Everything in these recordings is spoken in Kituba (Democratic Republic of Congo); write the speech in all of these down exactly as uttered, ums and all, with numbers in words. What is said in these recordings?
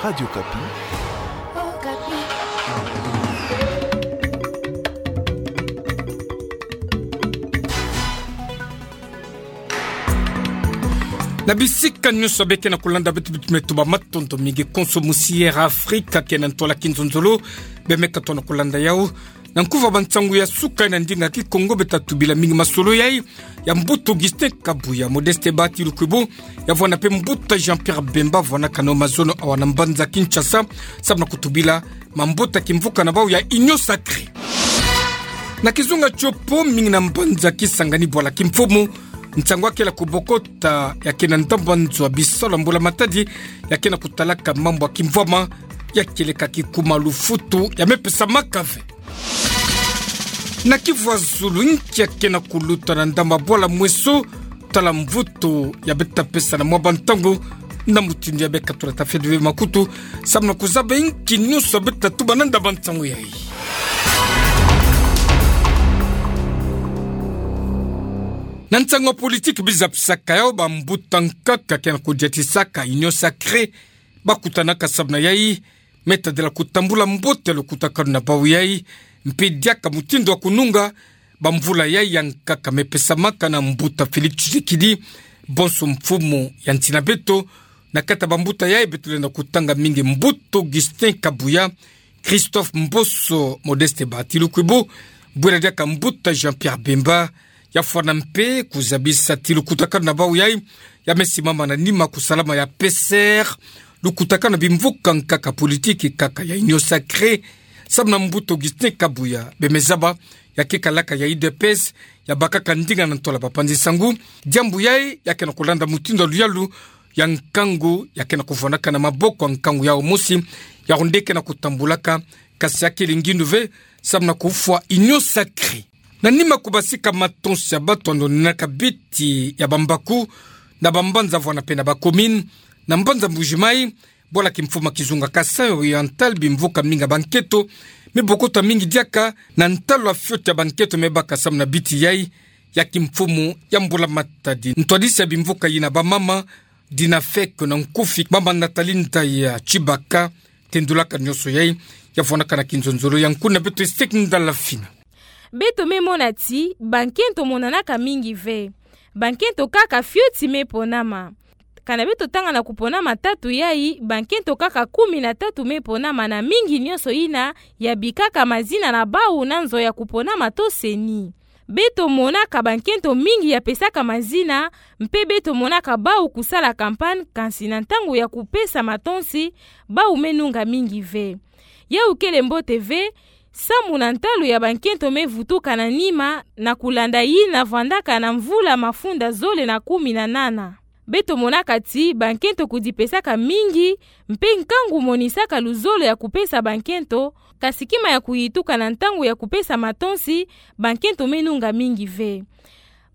Radio Okapi. Na bisika nyonso beke na kulanda beto, beto me tuba matondo mingi konso musi Air Afrika ke na ntwala kinzonzolo, be me katono kulanda yau. Na nkufi ya bansangu ya suka na ndinga Kikongo beta tubila mingi masolo yai ya mbuta Augustin Kabuya, Modeste Batilukwibo, ya vwanda mpe mbuta Jean-Pierre Bemba, vwanakana o mazono awa na mbanza Kinshasa, samu na kutubila mambuta kimvuka na bau ya Union Sacrée. Na kizunga tiopo, mingi na mbanza Kisangani bwala kimfumu, nsangu ya kele kubokota ya ke na ndambu nzo ya bisalu ya mbula matadi, ya ke na kutalaka mambu ya kimvwama, ya kieleka kikuma lufutu ya me pesamaka ve. Na Kivu ya zulu, inki ya ke na kuluta na ndambu ya bwala Mweso, tala mvutu ya beta pesa na mwa bantangu, na mutindu ya beka tulata fedwe makutu, samu na kuzaba inki nyonso ya beta tuba na ndambu ya nsangu yai. Na nsangu ya politiki biza pisaka yau, bambuta nkaka ke na kudiatisaka Union Sacrée, bakutanaka samu na yai, me tadila kutambula mbote ya lukutakanu na bau yai, mpe diaka mutindu ya kununga bamvula yai ya nkaka me pesamaka na mbuta Félix Tshisekedi, bonso mfumu ya nsi na beto. Na kati ya bambuta yai, beto lenda kutanga mingi mbuta Augustin Kabuya, Christophe Mboso, Modeste Batilukwibo, bwela diaka mbuta Jean-Pierre Bemba, ya fwana mpe kuzabisa ti lukutakanu na bau yai ya me simama na nima kusalama ya P C R, lukutakanu na bimvuka nkaka politiki kaka ya Union Sacrée, samu na mbuta Augustin Kabuya, be me zaba ya ke kalaka ya U D P S, ya bakaka ndinga na ntwala bapanzi nsangu. Diambu yai ya ke na kulanda mutindu ya luyalu ya nkangu ya ke na kuvwanaka na maboko ya nkangu yau mosi, yawu nde ke na kutambulaka, kasi ya kele ngindu ve, samu na kufwa Union Sacrée. Na nima kubasika matonsi ya batu ya ndonenaka biti ya bambaku na bambanza vwana mpe na bacommune, na mbanza Mbuji-Mayi, bwala kimfumu ya kizunga Kasaï Oriental, bimvuka mingi ya bankento me bokota mingi diaka na ntalu ya fioti ya bankento me baka samu na biti yai ya kimfumu ya mbula matadi. Ntwadisi ya bimvuka yina bamama, Dina Fek, na nkufi mama Nathalie Ndaya Tshibaka, tendulaka nyonso yai, ya vwanaka na kinzonzolo ya nkuna beto Estek Ndala Fina. Beto me mona ti bankento monanaka mingi ve. Bankento kaka fioti me ponama. Kana beto tanga na kuponama tatu yai, bankento kaka kumi na tatu me ponama, na mingi nyonso yina ya bikaka mazina na bau na nzo ya kuponama to CENI. Beto monaka bankento mingi ya pesaka mazina, mpe beto monaka bau kusala campagne, kansi na ntangu ya kupesa matonsi, bau me nunga mingi ve. Yawu kele mbote ve, samu na ntalu ya bankento me vutuka na nima, na kulanda yina vwandaka na mvula mafunda zole na kumi na nana. Beto monaka ti bankento kudipesaka mingi, mpe nkangu monisaka luzolo ya kupesa bankento, kasi kima ya kuyituka na ntangu ya kupesa matonsi, bankento me nunga mingi ve.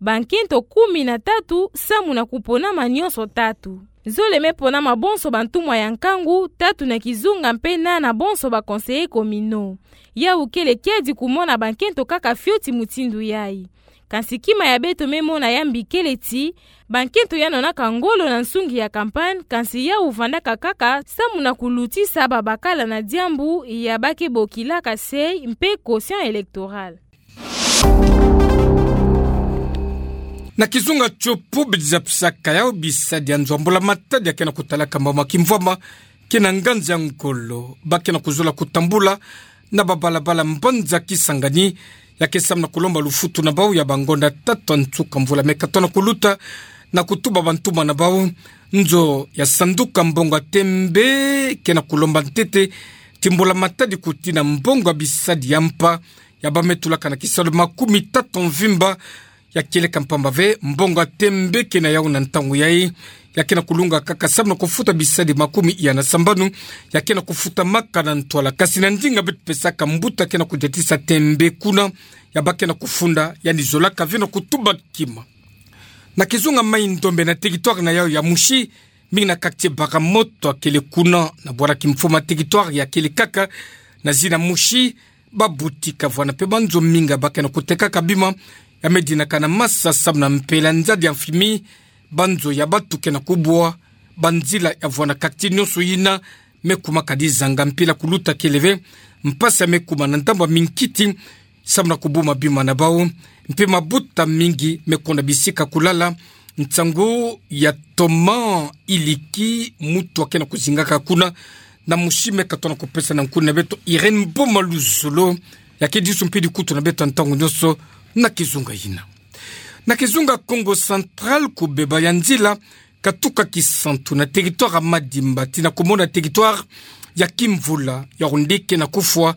Bankento kumi na tatu samu na kuponama nyonso tatu. Zole me ponama bonso bantumwa ya nkangu, tatu na kizunga mpe nana bonso ba conseillers communaux. Yawu kele kiadi kumona bankento kaka fioti mutindu yai. Kansi kima ya beto me mona ya mbi kele ti, bankento ya nonaka ngolo na nsungi ya campagne, kansi yawu vandaka kaka samu na kulutisa babakala na diambu ya ba ke bokilaka seuil mpe quotient électoral. Na kizunga tiopo, bidiza pisaka yau bisadi ya nzo ya mbula matadi ya ke na kutalaka mambu ya kimvwama, ke na nganzi ya ngolo, ba ke na kuzola kutambula na babalabala mbanza Kisangani, ya ke samu na kulomba lufutu na bau ya bangonda tatu ya nsuka mvula me katono kuluta, na kutuba bantumwa na bau, nzo ya sanduka mbongo ya tembe ke na kulomba ntete ti mbula matadi kutina mbongo ya bisadi ya mpa, ya ba me tulaka na kisalu makumi tatu mvimba, ya kieleka mpamba ve, mbongo ya tembe ke na yau na ntangu yai, ya ke na kulunga kaka samu na kufuta bisadi makumi iya na sambanu, ya ke na kufutamaka na ntwala. Kasi na ndinga beto pesaka mbuta ke na kudiatisa tembe kuna, ya ba ke na kufunda, yandi zolaka ve na kutuba kima. Na kizunga Maï-Ndombe, na territoire na yau ya Mouchy, mingi na quartier Baramoto ya kele kuna, na bwala kimfumu ya territoire ya kele kaka na zina Mouchy, ba boutique vwana mpe banzo mingi ba ke na kutekaka bima, ya me dinaka na masa samu na mpela nzadi ya mfimi, banzo ya batu ke na kubwa, banzila ya vwana quartier nyonso yina me kumaka dizanga mpila kuluta kele ve, mpasi ya me kuma na ndambu ya minkiti, samu na kubuma bima na bau, mpe mabuta mingi me kona bisika kulala, nsangu ya toma iliki mutu ake na kuzingaka kuna, na musi me katona kupesa na nkuna beto Irène Boma Luzolo, ya ke disu mpe dikutu na beto ntangu nyonso na kizunga yina. Na kizunga Kongo Central, kubeba ya nzila katuka Kisantu na territoire ya Madimba tii na kumona territoire ya Kimvula, yawu nde ke na kufwa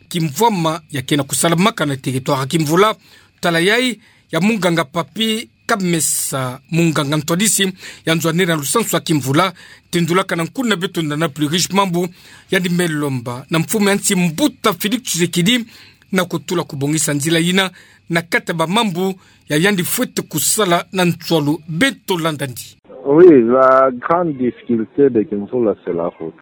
kimvwama ya ke na kusalamaka na territoire ya Kimvula, tala yayi ya munganga Papy Kamesa, munganga ntwadisi ya nzo ya nene na lusansu ya Kimvula, tendulaka na nkuna beto Nana Pluriche Mambu, yandi me lomba na mfumu ya nsi Mbuta Félix Tshisekedi na kutula kubongisa nzila yina na kati ya bamambu ya yandi fwete kusala na nswalu. Beto landa ndi. Oui, la grande difficulté de Kimvula, c'est la route.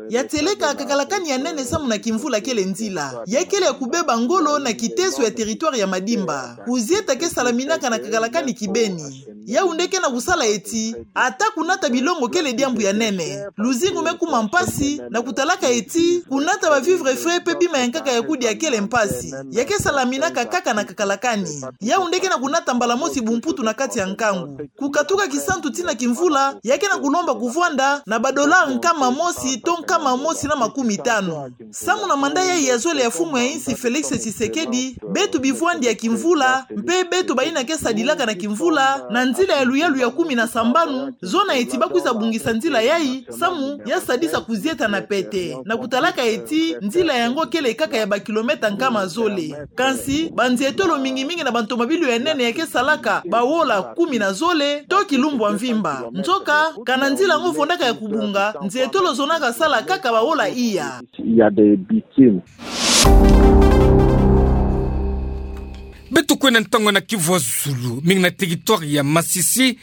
Ya tieleka kakalakani ya nene samu na Kimvula kele nzila. Ya kele ya kubeba ngolo na kiteso ya territoire ya Madimba. Kuzieta ke salaminaka na kakalakani kibeni. Yawu nde ke na kusala eti, ata kunata bilongo kele diambu ya nene. Luzingu me kuma mpasi, na kutalaka eti, kunata ba vivres frais mpe bima ya nkaka ya kudia kele mpasi. Ya ke salaminaka kaka na kakalakani. Yawu nde ke na kunata mbala mosi bumputu na kati ya nkangu. Kukatuka Kisantu tii na Kimvula, ya ke na kulomba kuvwanda na ba dollars nkama mosi to nkama mosi na makumi tanu. Samu na mandat yayi ya zole ya mfumu ya insi Félix Tshisekedi, beto bivwandi ya Kimvula, mpe beto bayina ke sadilaka na Kimvula, na nzila ya luyalu ya kumi na sambanu, zona eti bakwiza bongisa nzila yayi, samu ya sadisa kuzieta na pete. Na kutalaka eti, nzila yango kele kaka ya ba kilomètres nkama zole. Kansi, banzietolo mingi mingi na bantomabilu ya nene ya ke salaka, bawola kumi na zole, to kilumbu ya mvimba. Nzoka, kana nzila yango vwandaka ya kubonga, nzietolo zona kasala kaka bawola iya. Il y a des victimes. Beto kwenda ntangu na Kivu ya Zulu, mingi na territoire ya Masisi,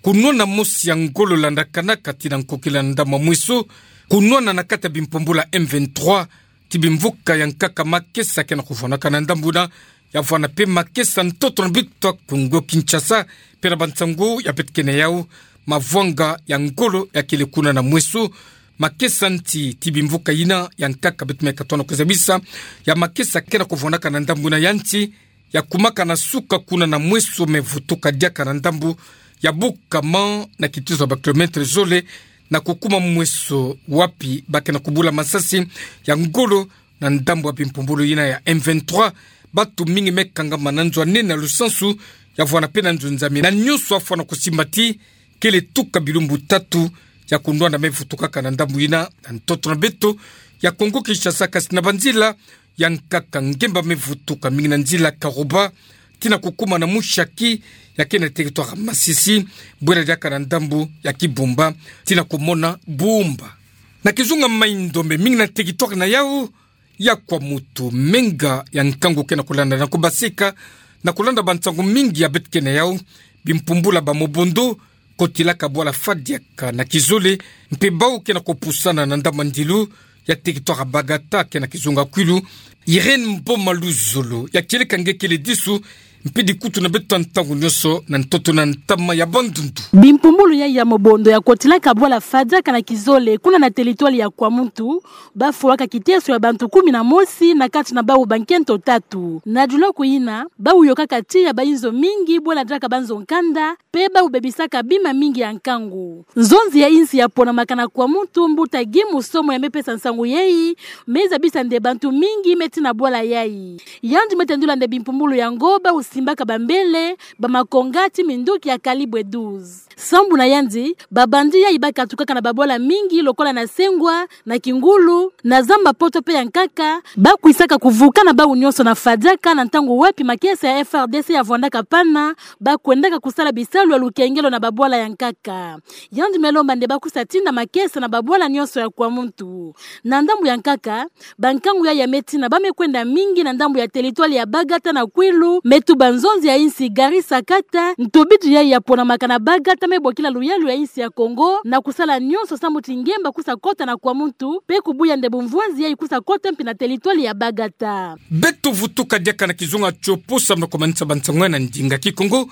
kunwana mosi ya ngolo landakanaka tii na nkokila ndambu ya Mweso, kunwana na kati ya bimpumbulu ya M vingt-trois, tii bimvuka ya nkaka makesa ke na kuvwanaka na ndambu yina, ya vwana mpe makesa ntoto na beto ya Kongo Kinshasa, mpe na bansangu ya beto ke na yawu, mavwanga ya ngolo ya kele kuna na Mweso, makesa nti tii bimvuka yina ya nkaka beto me katona kuzabisa, ya makesa ke na kuvwanaka na ndambu yina ya nti, ya kumaka na suka kuna na Mweso me vutuka diaka na ndambu ya Bukama na kitezo ya ba kilomètres zole, na kukuma Mweso wapi ba ke na kubula masasi ya ngolo na ndambu ya bimpumbulu yina ya M vingt-trois, bantu mingi me kangama na nzo ya nene na lusansu, ya vwana mpe na nzo nzambi. Na nyonso afwana kusimba tii, kele tuka bilumbu tatu ya kunwana me vutukaka na ndambu yina, na ntoto na beto ya Kongo Kinshasa, kansi na banzila ya nkaka ngemba me vutuka mingi na nzila Karuba, tii na kukuma na Mushaki, ya ke na territoire ya Masisi, bwela diaka na ndambu ya Kibumba, tii na kumona Bumba. Na kizunga Mai-Ndombe, mingi na territoire na yawu ya Kwamutu, menga ya nkangu ke na kulanda na kubasika, na kulanda bansangu mingi ya beto ke na yawu, bimpumbulu ya ba mobondo, kotilaka bwala Fadiaka na kizole, mpe bawu ke na kupusana na ndambu ya ndilu ya territoire ya Bagata ke na kizunga Kwilu. Irène Mboma Luzolo, ya kieleka nge kele disu, mpe dikutu na beto ntangu nyonso na ntoto na ntama ya Bandundu. Bimpumbulu yayi ya mobondo ya kotilaka bwala Fadiaka na kizole, kuna na territoire ya Kwamutu, bafwaka kiteso ya bantu kumi na mosi, na kati na bawu bankento tatu. Na diloku yina, bawu yokaka tiya ba inzo mingi, bwela diaka banzo nkanda, mpe bawu bebisaka bima mingi ya nkangu. Nzonzi ya insi ya ponamaka na Kwamutu, mbuta Guy Musomwa ya me pesa nsangu yayi, me zabisa nde bantu mingi me tii na bwala yayi. Yandi me tendula nde bimpumbulu yango bawu simbaka bambele, ba makonga tii minduki ya calibre douze. Sambu na yandi, ba bandits yayi bakatukaka na babwala mingi lokola na Sengwa, na Kingulu, na Zamba-Poto mpe ya nkaka, bakwisaka kuvuka na bawu nyonso na Fadiaka na ntangu wapi makesa ya F R D C ya vwandaka pana, bakwendaka kusala bisalu ya lukengelo na babwala ya nkaka. Yandi me lomba nde bakwisa tinda makesa na babwala nyonso ya Kwamutu. Na ndambu ya nkaka, bankangu yayi ya me tina ba me kwenda mingi na ndambu ya territoire ya Bagata na Kwilu, me tuba nzonzi ya insi Gary Sakata, ntobidu yayi ya ponamaka na Bagata me bokila luyalu ya insi ya Kongo, na kusala nyonso sambu ti ngemba kwisa kota na Kwamutu, mpe kubuya nde bumvwanzi yayi kwisa kota mpi na territoire ya Bagata. Beto vutuka diaka na kizunga Tshopo samu na kumanisa bansangu na ndinga Kikongo,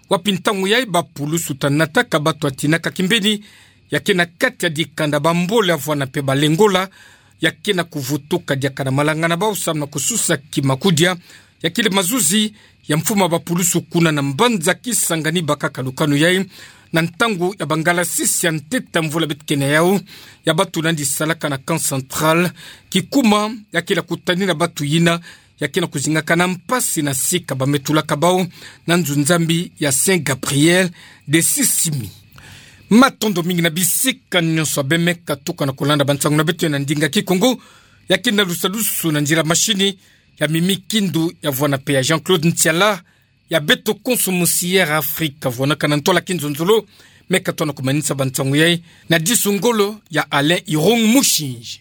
wapi ntangu yayi ba pulusu ta nataka bato ya tinaka kimbeni ya ke na kati ya dikanda bambole ya vwana mpe balengola, ya ke na kuvutuka diaka na malanga na bau samu na kususaki makudia ya kele mazuzi ya mfumu a bapulusu kuna na mbanza Kisangani bakaka lukanu yai, na ntangu ya bangalasisi ya ntete ya mvula beto ke na yau, ya bato nandi salaka na Camp Central, kikuma ya kele kutanina bato yina ya ke na kuzingaka na mpasi na sika bametulaka bau na nzo nzambi ya Saint Gabriel de Sisimiut. Matondo mingi na bisika nyonso abe me katuka na kulanda bansangu na beto na ndinga Kikongo, ya ke na lusalusu na nzila mashini ya Mimi Kindu ya vwana mpe ya Jean-Claude Ntiala, ya beto konso mu C R Afrique, vwanaka na ntwala kinzonzolo. Me katona kumanisa bansangu yai na disu ngolo ya Alain Irung Mushinji.